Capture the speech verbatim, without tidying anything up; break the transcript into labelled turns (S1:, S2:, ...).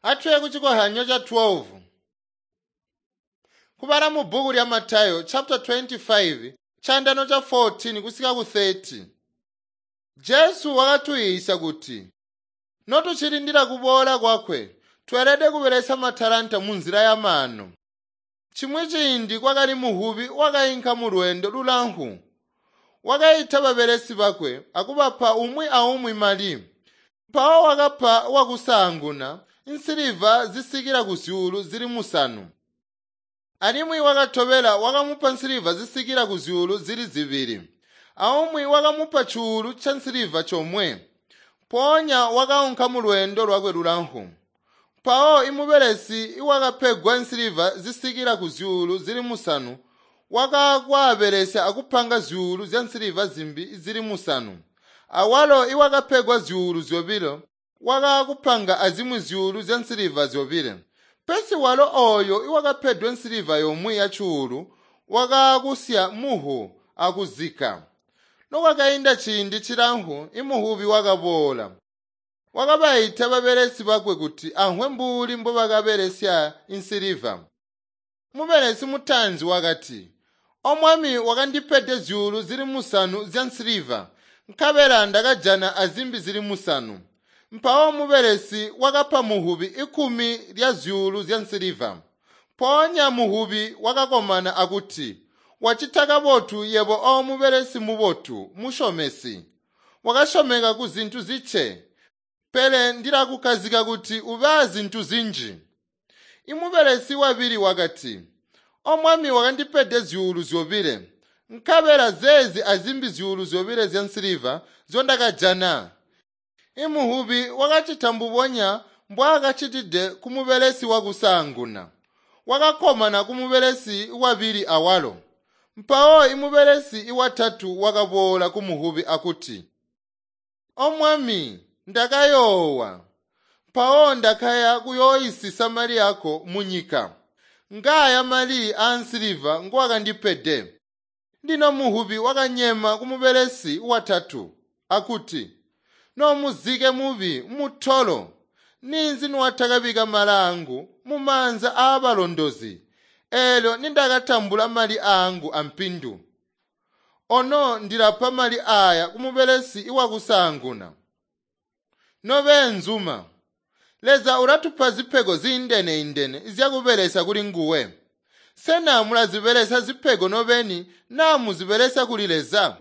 S1: Atwe kuchikohanyo cha twelve. Kubala mu bhuku lya Matayo chapter twenty-five chandano cha fourteen kusika ku thirty. Jesu wakatuyisa kuti notuchilindira kubola kwakwe twelede kubelesa matalanta mu nzira ya mano. Chimwe chindi kwakali muhubi wakayinka mu lwendo lulanhu. Wakayita babelesi bakwe akubapa umwi aumwi mali. Mpawo wakapa wakusanguna nsiliva zisikila ku zyuulu zili musanu. Alimwi wakatobela wakamupa nsiliva zisikila ku zyuulu zili zibili. Aumwi wakamupa chuulu cha nsiliva chomwe. Ponya wakaunka mu lwendo lwakwe lulanhu. Mpawo imubelesi iwakapegwa nsiliva zisikila ku zyuulu zili musanu wakakwabelesya akupanga zyuulu zya nsiliva zimbi zili musanu. Awalo iwakapegwa zyuulu zyobilo wakakupanga azimwi zyuulu zya nsiliva zyobile. Pesi walo oyo iwakapedwe nsiliva yomwe ya chuulu wakakusya muhu akuzika. Nokwakainda ciindi chilanhu imuhubi wakabola. Wakabayita babelesi bakwe kuti anhwe mbuli mbobakabelesya insiliva. Mubelesi mutanzi wakati, "Omwami wakandipede zyuulu zili musanu zya nsiliva, nkabela ndakajana azimbi zili musanu." Mpawo mubelesi wakapa muhubi ikumi lya zyuulu zya nsiliva. Mpoonya muhubi wakakomana akuti, "Wachita kabotu yebo o mubelesi mubotu, mushomesi. Wakashomeka ku zintu ziche, pele ndilakukazika kuti ube zintu zinji." Imubelesi wabili wakati, "Omwami wakandipede zyuulu zyobile, nkabela zezi azimbi zyuulu zyobile zya nsiliva zyondakajana." Imuhubi wakachita mbubonya mbwaakachitide ku mubelesi wakusanguna. Wakakomana ku mubelesi wabili awalo. Mpawo imubelesi iwatatu wakabola ku muhubi akuti, "Omwami, ndakayoowa. Mpawo ndakaya kuyoyisisa mali yako munyika. Ngaya mali ansiliva ngwakandipede." Lino muhubi wakanyema ku mubelesi watatu akuti, "Nomuzike mubi mutolo, ninzi niwatakabika mali angu mumaanza aabalondozi, eelyo nindakatambula mali angu ampindu. Ono ndilapa mali aya ku mubelesi iwakusanguna." Nobenzuma, Leza ulatupa zipego ziindene-indene zyakubelesya kuli nguwe. Sena mulazibelesya zipego nobeni naa muzibelesya kuli Leza?